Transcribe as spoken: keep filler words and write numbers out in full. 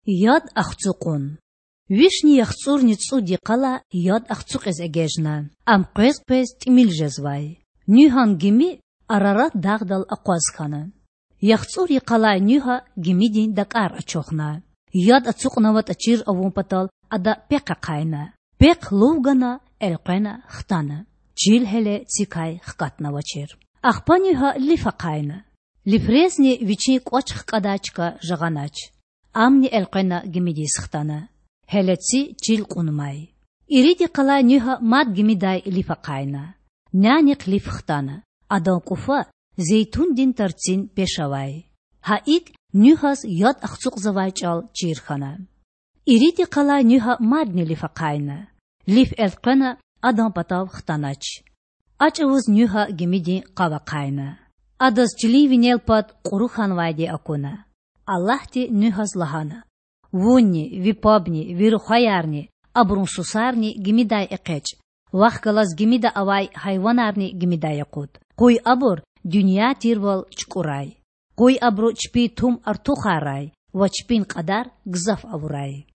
Яд ацукьун. Вишни яхцІурни цІуд йикъалай яд ацукьиз эгечІна. Ам къвез-къвез тІимил жезвай. Нуьгьан гими Арарат дагъдал акъваз хьана. ЯхцІур йикъалай Нуьгьа гимидин дакІар ачухна. Яд ацукьнаватІа чир авун патал ада пехъ ахъайна. Пехъ лув гана, элкъвена хтана. Чил гьеле цикай хкатнавачир. Ахпа Нуьгьа лиф ахъайна. Лифрезни вичин кІвач хкІадай чка жагъанач. Амни элкъвена гимидиз хтана. Гьеле ци чил кьунмай. Ирид йикъалай Нуьгьа мад гимидай лиф ахъайна. Нянихъ лиф хтана. Адан кІуфа зейтундин тарцин пеш авай. Гьа икІ Нуьгьаз яд ацукьзавай чІал чир хьана. Ирид йикъалай Нуьгьа мадни лиф ахъайна. Лиф элкъвена адан патав хтанач. А чІавуз Нуьгьа гимидин къав ахъайна. Адаз чилин винел пад кьуру хьанвайди акуна. Аллагьди Нуьгьаз лагьана: Вунни, ви пабни, ви рухваярни, абурун сусарни гимидай экъечІ. Вахъ галаз гимида авай гьайванарни гимидай акъуд. Къуй абур дуьнья тирвал чукІурай. Къуй абуру чпин тум артухаррай ва чпин кьадар гзаф авурай.